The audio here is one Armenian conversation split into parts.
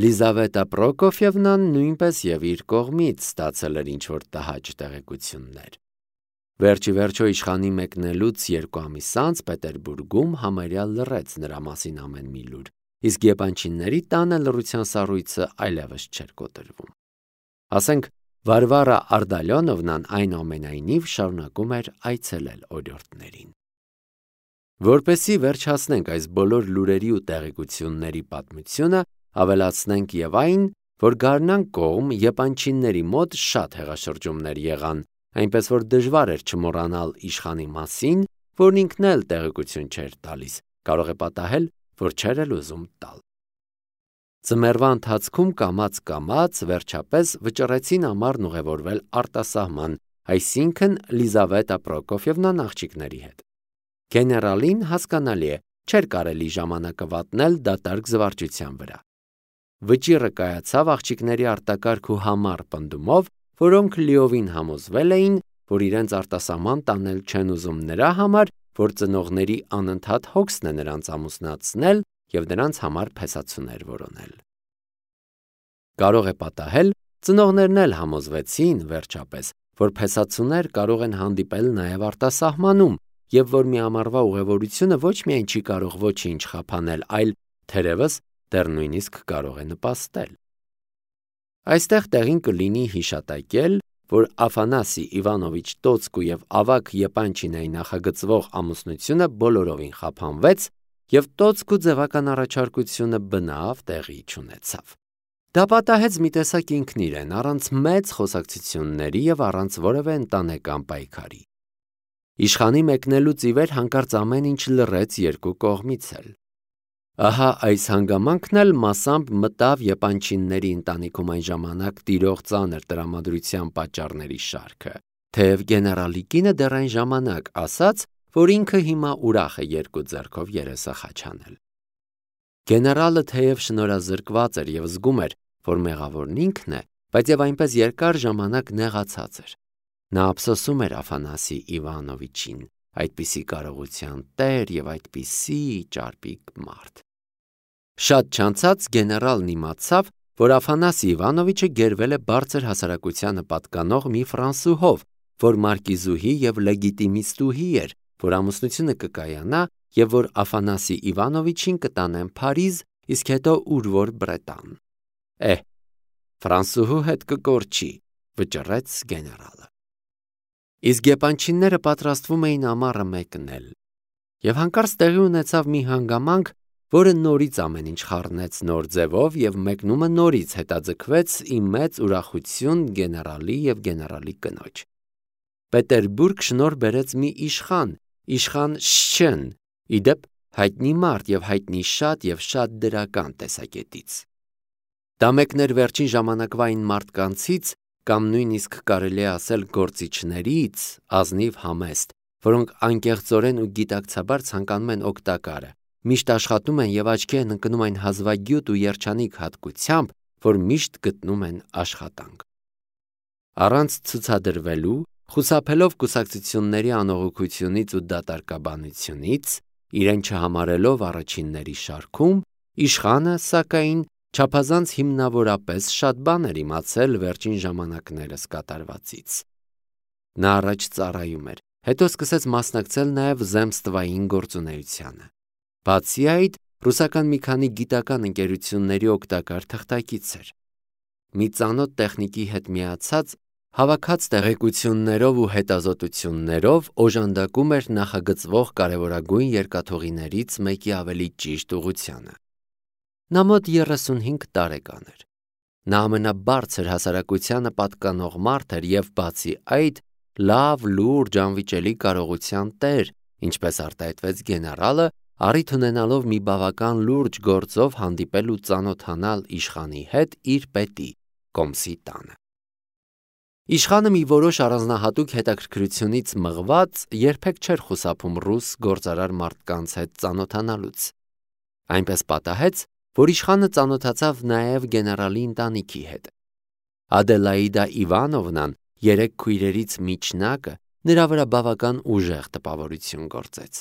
Լիզավետա Պրոկոֆյևնան նույնպես եւ իր կողմից ստացել էր ինչ-որ տհաճ տեղեկություններ։ Վերջի վերջո իշխանի մեկնելուց 2 ամիս անց Պետերբուրգում համարյա լռեց նրա մասին ամեն մի լուր, իսկ եպանչինների տանը լռության սառույցը այլևս չէր կոտրվում։ Ասենք Վարվարա Արդալյոնովնան այնուամենայնիվ շարունակում էր այցելել օրիորդներին։ Որպեսզի վերջ հասնենք այս բոլոր լուրերի ու տեղեկությունների պատմությունը, ավելացնենք եւ այն, որ Գառնան կողմ եպանչինների մոտ շատ հեղաշրջումներ եղան, այնպես որ դժվար էր չմոռանալ իշխանի մասին, որն ինքն էլ տեղեկություն չէր տալիս, կարող է պատահել, որ չէր էլ ուզում տալ։ Ձմեռվա ընթացքում կամաց վերջապես վճռեցին ամառն ուղևորվել արտասահման, այսինքն Լիզավետա Պրոկոֆյևնան աղջիկների հետ։ Գեներալին հասկանալի է, չէր կարելի ժամանակը վատնել դատարկ զվարճության վրա։ Վճիռը կայացավ աղջիկների արտակարգ ու համառ պնդումով, որոնք լիովին համոզվել էին, որ իրենց արտասահման տանել չեն ուզում նրա համար, որ ծնողների անընդհատ հոգսն է նրանց ամուսնացնել և նրանց համար փեսացուներ որոնել։ Կարող է պատահել, ծնողներն էլ համոզվեցին վերջապես, որ փեսացուներ կարող են հանդիպել նաև արտասահմանում, և որ մի ամառվա ուղևորությունը ոչ միայն չի կարող ոչինչ խափանել, այլ թերևս դեռ նույնիսկ կարող է նպաստել։ Այստեղ տեղին կլինի հիշատակել, որ Աֆանասի Իվանովիչ Տոցկու և ավագ Եպանչինայի նախագծվող ամուսնությունը բոլորովին խափանվեց, և Տոցկու ձևական առաջարկությունը բնավ տեղի չունեցավ։ Դա պատահեց մի տեսակ ինքն իրեն, առանց մեծ խոսակցությունների և առանց որևէ ընտանեկան պայքարի։ Իշխանի մեկնելուց ի վեր հանկարծ ամեն ինչ լռեց երկու կողմից էլ։ Ահա այս հանգամանքն էլ մասամբ մտավ Եպանչինների ընտանիքում այն ժամանակ տիրող ծանր տրամադրության պատճառների շարքը, թեև գեներալի կինը դեռ այն ժամանակ ասաց, որ ինքը հիմա ուրախ է երկու ձեռքով երեսը խաչանել։ Գեներալը թեև շնորհազրկված էր և զգում էր, որ մեղավորն ինքն է, բայց և այնպես երկար ժամանակ նեղացած էր։ Նա ափսոսում էր Աֆանասի Իվանովիչին, այդպիսի կարողության տեր և այդպիսի ճարպիկ մարդ։ Շատ չանցած գեներալն իմացավ, որ Աֆանասի Իվանովիչը գերվել է բարձր հասարակությանը պատկանող մի ֆրանսուհով, որ մարկիզուհի և լեգիտիմիստուհի էր, որ ամուսնությունը կկայանա և որ Աֆանասի Իվանովիչին կտանեն Փարիզ, իսկ հետո ուր որ Բրետան։ Ֆրանսուհու հետ կկորչի, վճռեց գեներալը։ Իսկ եպանչինները պատրաստվում էին ամառը մեկնել, և հանկարծ տեղի ունեցավ մի հանգամանք, որը նորից ամեն ինչ խառնեց նոր ձևով, և մեկնումը նորից հետաձգվեց ի մեծ ուրախություն գեներալի և գեներալի կնոջ։ Պետերբուրգ շնորհ բերեց մի իշխան Շչեն, ի դեպ հայտնի մարդ և հայտնի շատ և շատ դրական տեսակետից։ Դա մեկն էր վերջին ժամանակվա այն մարդկանցից, կամ նույնիսկ կարելի է ասել գործիչներից, ազնիվ համեստ, որոնք անկեղծորեն ու գիտակցաբար ցանկանում են օգտակարը, միշտ աշխատում են և աչքի են ընկնում այն հազվագյուտ ու երջանիկ հատկությամբ, որ միշտ գտնում են աշխատանք։ Առանց ցուցադրվելու, խուսափելով կուսակցությունների անողոքությունից ու դատարկաբանությունից, իրեն չհամարելով առաջինների շարքում, իշխանը, սակայն, չափազանց հիմնավորապես շատ բան էր իմացել վերջին ժամանակներս կատարվածից։ Նա առաջ ծառայում էր, հետո սկսեց մասնակցել նաև zemstvային գործունեությանը։ Բացի այդ, ռուսական մի քանի գիտական ընկերությունների օգտակար թղթակից էր։ Մի ծանոթ տեխնիկի հետ միացած, հավաքած տեղեկություններով ու հետազոտություններով օժանդակում էր նախագծվող կարևորագույն երկաթուղիներից մեկի ավելի ճիշտ ուղղությանը։ Նա մոտ 35 տարեկան էր։ Նա ամենաբարձր հասարակությանը պատկանող մարդ էր և բացի այդ, լավ, լուրջ, անվիճելի կարողության տեր, ինչպես արտահայտվեց գեներալը, առիթ ունենալով մի բավական լուրջ գործով հանդիպել ու ծանոթանալ իշխանի հետ իր պետի, կոմսի տանը։ Իշխանը մի որոշ առանձնահատուկ հետաքրքրությունից մղված երբեք չէր խուսափում ռուս գործարար մարդկանց հետ ծանոթանալուց։ Այնպես պատահեց, որ իշխանը ծանոթացավ նաև գեներալի ընտանիքի հետ։ Ադելաիդա Իվանովնան, 3 քույրերից միջնակը, նրա վրա բավական ուժեղ տպավորություն գործեց։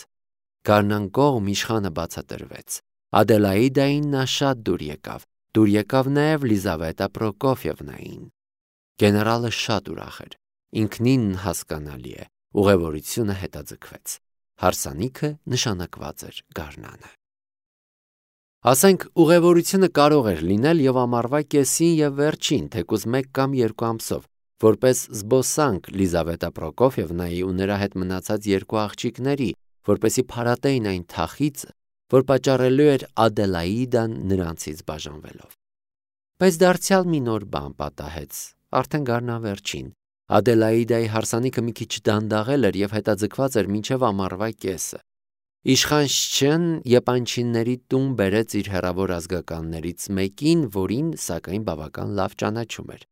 Գառնան կողմ իշխանը բացատրվեց։ Ադելաիդային նա շատ դուր եկավ, Դուր եկավ նաև Լիզավետա Պրոկոֆիևնային։ Գեներալը շատ ուրախ էր։ Ինքնին հասկանալի է, ուղևորությունը հետաձգվեց։ Հարսանիքը նշանակված էր գարնանը։ Ասենք ուղևորությունը կարող էր լինել եւ ամառվա կեսին եւ վերջին, թեկուզ 1 կամ 2 ամսով, որպես զբոսանք Լիզավետա Պրոկոֆիևնայի ու նրա հետ մնացած 2 աղջիկների, որպեսի փարատեին այն թախիծը, որ պատճառելու էր Ադելաիդան նրանցից բաժանվելով։ Բայց դարձյալ մի նոր բան պատահեց, արդեն գարնավերջին։ Ադելաիդայի հարսանիքը մի քիչ դանդաղել էր եւ հետաձգված էր մինչեւ ամառվա կեսը։ Իշխան Շչեն եպանչինների տուն բերեց իր հեռավոր ազգականներից մեկին, որին սակայն բավական լավ ճանաչում էր։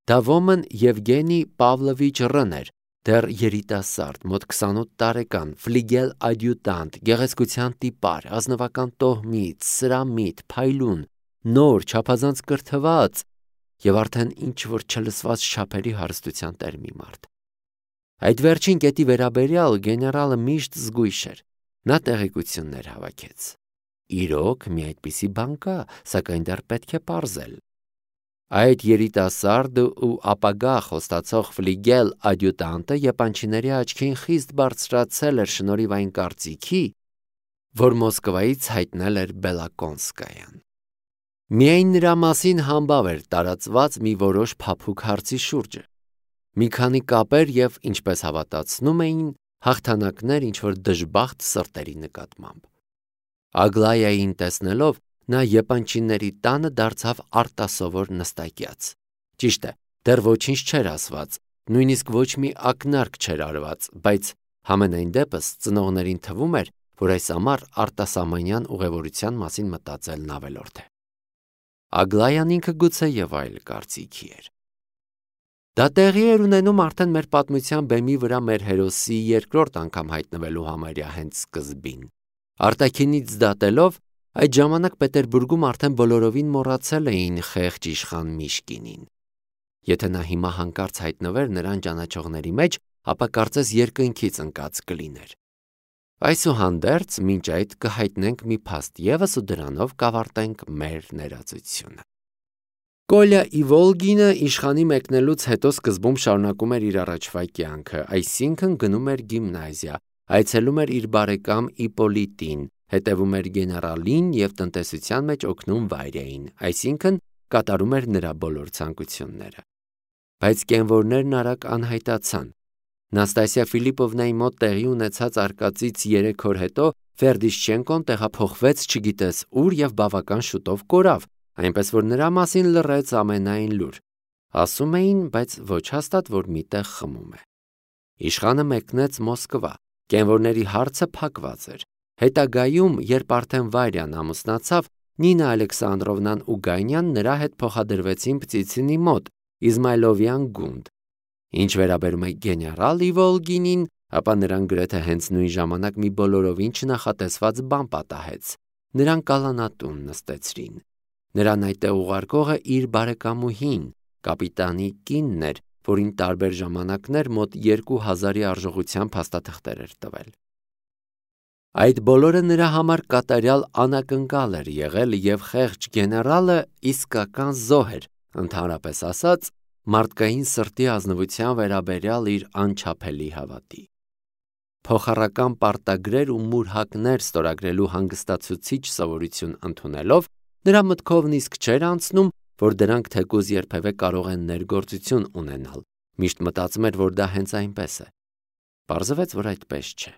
Դա ոմն Եվգենի Պավլովիչ Ռն էր, դեռ երիտասարդ, մոտ 28 տարեկան, ֆլիգել ադյուտանտ, գեղեցկության տիպար, ազնվական տոհմից, սրամիտ, փայլուն, նոր, չափազանց կրթված եւ արդեն ինչ որ չլսված չափերի հարստության տեր մի մարդ։ Այդ վերջին կետի վերաբերյալ գեներալը միշտ զգույշ էր։ Նա տեղեկություններ հավաքեց։ Իրոք մի այդպիսի բան կա, սակայն դեռ պետք է պարզել։ Այդ երիտասարդը ու ապագա խոստացող ֆլիգել ադյուտանտը եպանչիների աչքին խիստ բարձրացել էր շնորհիվ այն կարծիքի, որ Մոսկվայից հայտնել էր Բելակոնսկայան։ Միայն նրա մասին համբավ էր տարածված մի որոշ փափուկ հարցի շուրջը։ Մի քանի կապեր եւ, ինչպես հավատացնում էին, հաղթանակներ ինչ-որ դժբախտ սրտերի նկատմամբ։ Ագլայային տեսնելով, նա եպանչիների տանը դարձավ արտասովոր նստակյաց։ Ճիշտ է, դեռ ոչինչ չէր ասված, նույնիսկ ոչ մի ակնարկ չէր արված, բայց համենայն դեպս ծնողներին թվում էր, որ այս ամառ արտասահմանյան ուղևորության մասին մտածելն ավելորդ է։ Ագլայան ինքը գուցե եւ այլ կարծիքի էր։ Դա տեղի էր ունենում արդեն մեր պատմության բեմի վրա մեր հերոսի երկրորդ անգամ հայտնվելու համարյա հենց սկզբին։ Արտաքինից դատելով, այդ ժամանակ Պետերբուրգում արդեն բոլորովին մոռացել էին խեղճ իշխան Միշկինին։ Եթե նա հիմա հանկարծ հայտնվեր նրան ճանաչողների մեջ, ապա կարծես երկնքից ընկած կլիներ։ Այսուհանդերձ, մինչ այդ կհայտնենք մի փաստ ևս ու դրանով կավարտենք մեր ներածությունը։ Կոլյա Իվոլգինը իշխանի մեկնելուց հետո սկզբում շարունակում էր իր առաջվա կյանքը, այսինքն գնում էր գիմնազիա, այցելում էր իր բարեկամ Իպոլիտին, հետևում էր գեներալին եւ տնտեսության մեջ օգնում Վայրեին, այսինքն կատարում էր նրա բոլոր ցանկությունները։ Բայց կենվորներն արագ անհայտացան։ Նաստասիա Ֆիլիպովնայի մոտ տեղի ունեցած արկածից 3 օր հետո Ֆերդիշչենկոն տեղափոխվեց չգիտես ուր եւ բավական շուտով կորավ, այնպես որ նրա մասին լռեց ամենայն լուր։ Ասում էին, բայց ոչ հաստատ, որ միտեղ խմում է։ Իշխանը մեկնեց Մոսկվա, կենվորների հարցը փակված էր։ Հետագայում, երբ արդեն Վայրյան ամուսնացավ, Նինա Ալեքսանդրովնան ու Գայնյան նրա հետ փոխադրվեցին Պտիցինի մոտ, Իզմայլովյան գունդ։ Ինչ վերաբերում է գեներալ Իվոլգինին, ապա նրան գրեթե հենց նույն ժամանակ մի բոլորովին չնախատեսված բան պատահեց։ Նրան կալանատուն նստեցրին։ Նրան այդտեղ ուղարկողը իր բարեկամուհին, կապիտանի կինն էր, որին տարբեր ժամանակներ մոտ 2000-ի արժողությամբ փաստաթղթեր էր տվել։ Այդ բոլորը նրա համար կատարյալ անակնկալ էր եղել եւ խեղճ գեներալը իսկական զոհ էր, ընդհանրապես ասած, մարդկային սրտի ազնվության վերաբերյալ իր անչափելի հավատի։ Փոխառական պարտագրեր ու մուրհակներ ստորագրելու հանգստացուցիչ սովորություն ընդունելով, նրա մտքով նիսկ չէր անցնում, որ դրանք թեկուզ երբևէ կարող են ներգործություն ունենալ։ Միշտ մտածում էր, որ դա հենց այնպես է։ Պարզվեց, որ այդպես չէ։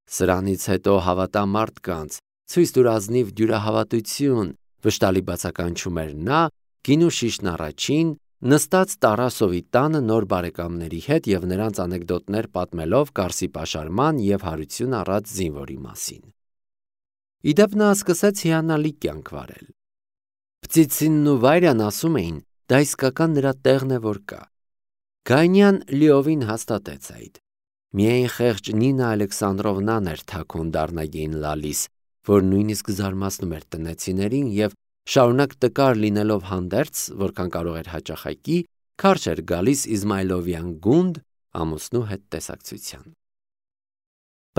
Սրանից հետո հավատա մարդկանց, ցույց տուր ազնիվ դյուրահավատություն, վշտալի բացականչում էր նա, գինու շիշն առաջին, նստած Տարասովի տանը նոր բարեկամների հետ եւ նրանց անեկդոտներ պատմելով Կարսի պաշարման եւ հարություն առած զինվորի մասին։ Իդեպ նա սկսեց հիանալի կյանք վարել։ Պտիցինն ու Վայրյան ասում էին, դա իսկական նրա տեղն է, որ կա։ Գայնյան լիովին հաստատեց այդ։ Միայն խեղճ Նինա Ալեքսանդրովնան էր թաքուն դառնագին լալիս, որ նույնիսկ զարմացնում էր տնեցիներին եւ շարունակ տկար լինելով հանդերձ, որքան կարող էր հաճախակի, քարշ էր գալիս Իզմայլովյան գունդ ամուսնու հետ տեսակցության։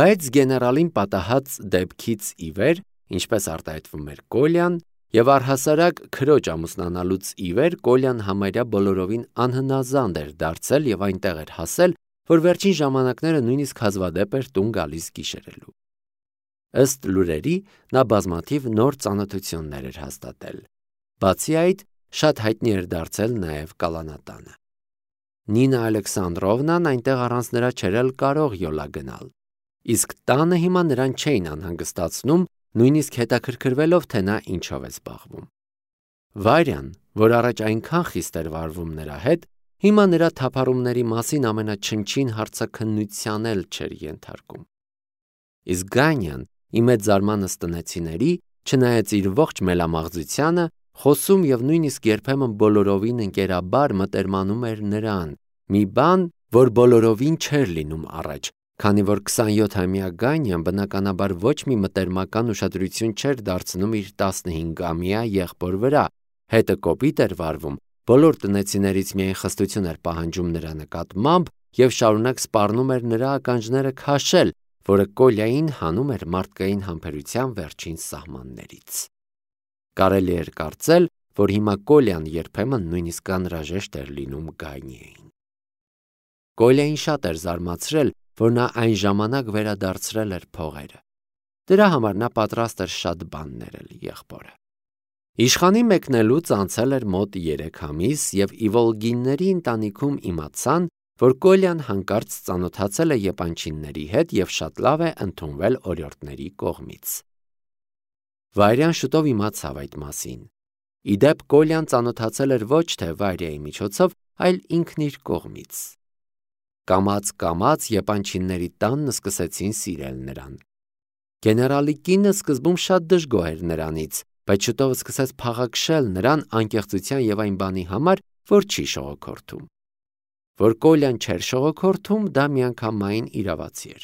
Բայց գեներալին պատահած դեպքից ի վեր, ինչպես արտահայտվում էր Կոլյան, եւ առհասարակ քրոջ ամուսնանալուց ի վեր Կոլյան համարյա բոլորովին անհնազանդ էր դարձել եւ այնտեղ էր հասել, որ վերջին ժամանակները նույնիսկ հազվադեպ էր տուն գալիս գիշերելու։ Ըստ լուրերի, նա բազմաթիվ նոր ծանոթություններ էր հաստատել։ Բացի այդ, շատ հայտնի էր դարձել նաեւ կալանատանը։ Նինա Ալեքսանդրովնան այնտեղ առանց նրա չէր կարող յոլա գնալ։ Իսկ տանը հիմա նրան չէին անհանգստացնում, նույնիսկ հետաքրքրվելով, թե նա ինչով է զբաղվում։ Վարյան, որ առաջ այնքան խիստ էր վարվում նրա հետ, հիմա նրա թափառումների մասին ամենաչնչին հարցաքննության էլ չէր ենթարկում։ Իսկ Գանյան, ի մեծ զարմանս տնեցիների, չնայած իր ողջ մելամաղձությանը, խոսում եւ նույնիսկ երբեմն բոլորովին ընկերաբար մտերմանում էր նրան, մի բան, որ բոլորովին չէր լինում առաջ, քանի որ 27-ամյա Գանյան բնականաբար ոչ մի մտերմական ուշադրություն չէր դարձնում իր 15-ամյա եղբոր վրա, հետը կոպիտ էր վարվում, բոլոր տնեցիներից միայն խստություն էր պահանջում նրա նկատմամբ եւ շարունակ սպառնում էր նրա ականջները քաշել, որը Կոլյային հանում էր մարդկային համբերության վերջին սահմաններից։ Կարելի էր կարծել, որ հիմա Կոլյան երբեմն նույնիսկ անհրաժեշտ էր լինում Գանիեին։ Կոլյային շատ էր զարմացրել, որ նա այն ժամանակ վերադարձրել էր փողերը։ Դրա համար նա պատրաստ էր շատ բան ներել եղբորը։ Իշխանի մեկնելուց անցել էր մոտ 3 ամիս եւ Իվոլգինների ընտանիքում իմացան, որ Կոլյան հանկարծ ծանոթացել է եպանչինների հետ եւ շատ լավ է ընդունվել օրիորդների կողմից։ Վարյան շուտով իմացավ այդ մասին։ Իդեպ Կոլյան ծանոթացել էր ոչ թե Վարյայի միջոցով, այլ ինքն իր կողմից։ Կամաց եպանչինների տանն սկսեցին սիրել նրան։ Գեներալի կինը սկզբում շատ դժգոհ էր նրանից, բայց շուտով սկսեց փաղաքշել նրան անկեղծության եւ այն բանի համար, որ չի շողոքորթում։ Որ Կոլյան չէր շողոքորթում, դա միանգամայն իրավացի էր։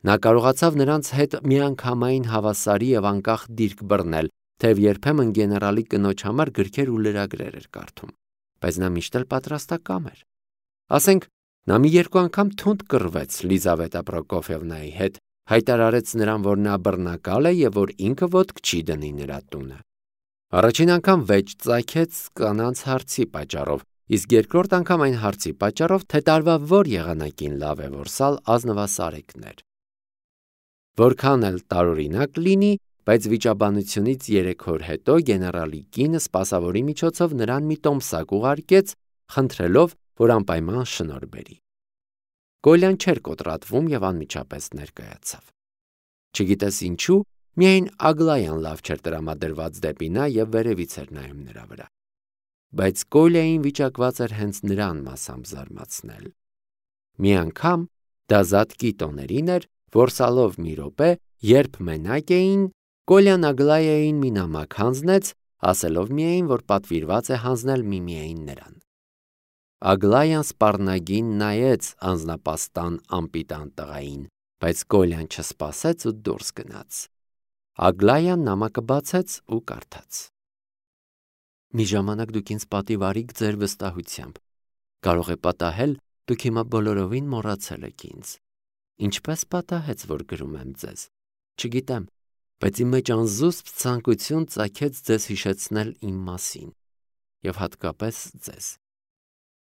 Նա կարողացավ նրանց հետ միանգամայն հավասարի եւ անկախ դիրք բռնել, թեև երբեմն գեներալի կնոջ համար գրքեր ու լրագրեր էր կարդում, բայց նա միշտ էլ պատրաստակամ էր։ Ասենք, նա մի երկու անգամ թունդ կռվեց Լիզավետա Պրոկոֆիևնայի հետ, հայտարարեց նրան, որ նա բռնակալ է եւ որ ինքը ոտք չի դնի նրա տունը։ Առաջին անգամ վեճ ծագեց կանանց հարցի պատճառով, իսկ երկրորդ անգամ այն հարցի պատճառով, թե տարվա որ եղանակին լավ է որսալ ազնվասարեկներ։ Որքան էլ տարօրինակ լինի, բայց վիճաբանությունից 3 օր հետո գեներալի կինը սպասավորի միջոցով նրան մի տոմսակ ուղարկեց, խնդրելով, որ անպայման շնորհ բերի։ Կոլյան չէր կոտրատվում եւ անմիջապես ներկայացավ։ Չգիտես ինչու, միայն Ագլայան լավ չէր տրամադրված դեպի նա եւ վերևից էր նայում նրա վրա։ Բայց Կոլյային վիճակված էր հենց նրան մասամբ զարմացնել։ Մի անգամ դազատկի տոներին էր, որսալով մի րոպե, երբ մենակ էին, Կոլյան Ագլայային մի նամակ հանձնեց, ասելով միայն, որ պատվիրված է հանձնել միմիային նրան։ Ագլայան սպառնագին նայեց անձնապաստան անպիտան տղային, բայց Կոլյան չսպասեց ու դուրս գնաց։ Ագլայան նամակը բացեց ու կարդաց. Մի ժամանակ դուք ինձ պատիվ արիք ձեր վստահությամբ։ Կարող է պատահել, դուք հիմա բոլորովին մոռացել եք ինձ։ Ինչպես պատահեց, որ գրում եմ ձեզ։ Չգիտեմ, բայց իմ մեջ անզուսպ ցանկություն ծագեց ձեզ հիշեցնել իմ մասին, եւ հատկապես ձեզ։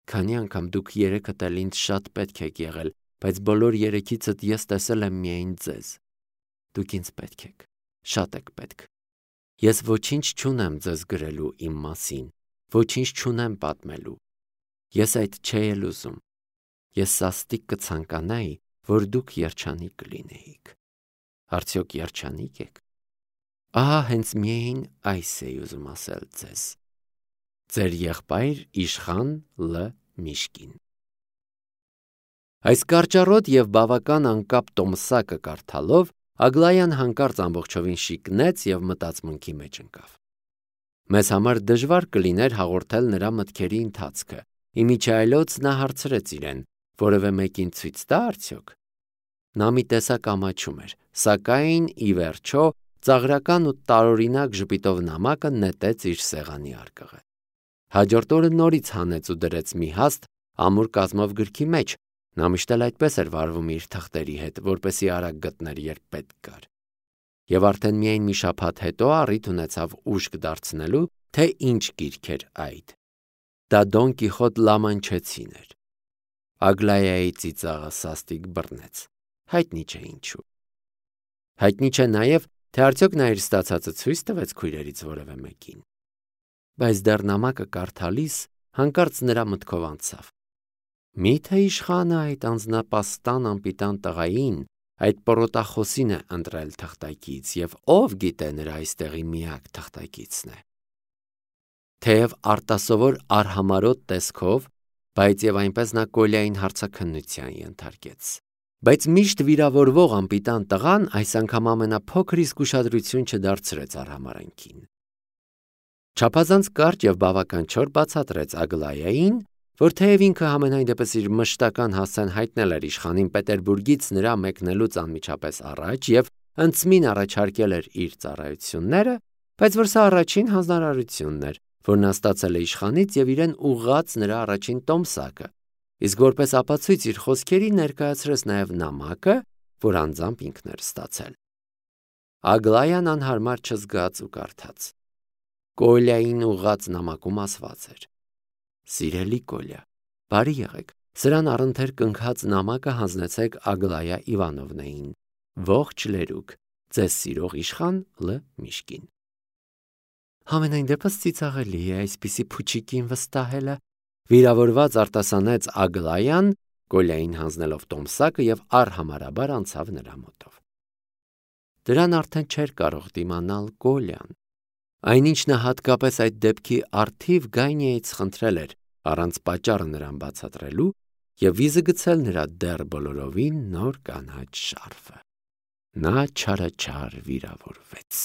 Քանի անգամ դուք երեքդ էլ ինձ շատ պետք եք եղել, բայց բոլոր երեքիցդ ես տեսել եմ միայն ձեզ։ Դուք ինձ պետք եք, շատ եք պետք։ Ես ոչինչ չունեմ ձեզ գրելու իմ մասին, ոչինչ չունեմ պատմելու։ Ես այդ չէի էլ ուզում։ Ես սաստիկ կցանկանայի, որ դուք երջանիկ լինեիք։ Արդյոք երջանիկ եք։ Ահա հենց միայն այս էի ուզում ասել ձեզ։ Ձեր եղբայր Իշխան Լ. Միշկին։ Այս կարճառոտ եւ բավական անկապ տոմսակը կարդալով Ագլայան հանկարծ ամբողջովին շիկնեց եւ մտածմունքի մեջ ընկավ։ Մեզ համար դժվար կլիներ հաղորդել նրա մտքերի ընթացքը։ Իմիջայլոց նա հարցրեց իրեն. որևէ մեկին ցույց տա արդյոք։ Նա մի տեսակ ամաչում էր, սակայն ի վերջո ծաղրական ու տարօրինակ ժպիտով նամակը նետեց իր սեղանի արկղը։ Հաջորդ օրը նորից հանեց ու դրեց մի հաստ ամուր կազմով գրքի մեջ։ Նա միշտ էլ այդպես էր վարվում իր թղթերի հետ, որպեսզի արագ գտներ, երբ պետք կար։ եւ արդեն միայն մի շաբաթ հետո առիթ ունեցավ ուշք դարձնելու, թե ինչ գիրք էր այդ։ Դա Դոն Կիխոտ Լամանչեցին էր։ Ագլայայի ծիծաղը սաստիկ բռնեց։ Հայտնի չէ ինչու։ Հայտնի չէ նաև, թե արդյոք նա իր ստացածը ցույց տվեց քույրերից որևէ մեկին։ Բայց դեռ նամակը կարդալիս հանկարծ նրա մտքով անցավ. միթե իշխանը այդ անձնապաստան անպիտան տղային, այդ պորոտախոսին է ընտրել թղթակից, եւ ով գիտե նրա այստեղի միակ թղթակիցն է։ Թեև արտասովոր արհամարոտ տեսքով, բայց եւ այնպես նա Կոլյային հարցաքննության ենթարկեց։ Բայց միշտ վիրավորվող անպիտան տղան այս անգամ ամենափոքր իսկ ուշադրություն չդարձրեց արհամարանքին։ Չափազանց կարճ եւ բավական չոր բացատրեց Ագլայային, որ թեև ինքը համենայն դեպս իր մշտական հասցեն հայտնել էր իշխանին Պետերբուրգից նրա մեկնելուց անմիջապես առաջ եւ ընծմին առաջարկել էր իր ծառայությունները, բայց որ սա առաջին հանձնարարությունն էր, որ նա ստացել է իշխանից եւ իրեն ուղղած նրա առաջին տոմսակը, իսկ որպես ապացույց իր խոսքերի ներկայացրեց նաեւ նամակը, որ անձամբ ինքն էր ստացել։ Ագլայան անհարմար չզգաց ու կարդաց։ Կոլյային ուղղած նամակում ասված էր. Սիրելի Կոլյա, բարի եղեք, սրան առընթեր կնքած նամակը հանձնեցեք Ագլայա Իվանովնային, ողջ լերուկ, ձեզ սիրող իշխան Լ. Միշկին։ Համենայն դեպս ծիծաղելի է այսպիսի փուչիկին վստահելը, վիրավորված արտասանեց Ագլայան, Կոլյային հանձնելով տոմսակը եւ արհամարաբար անցավ նրա մոտով։ Դրան արդեն չէր կարող դիմանալ Կոլյան։ Այնինչ նա հատկապես այդ դեպքի առթիվ Գայնիայից խնդրել էր, առանց պատճառը նրան բացատրելու, եւ վիզը գցել նրա դեռ բոլորովին նոր կանաչ շարֆը։ Նա չարաչար վիրավորվեց։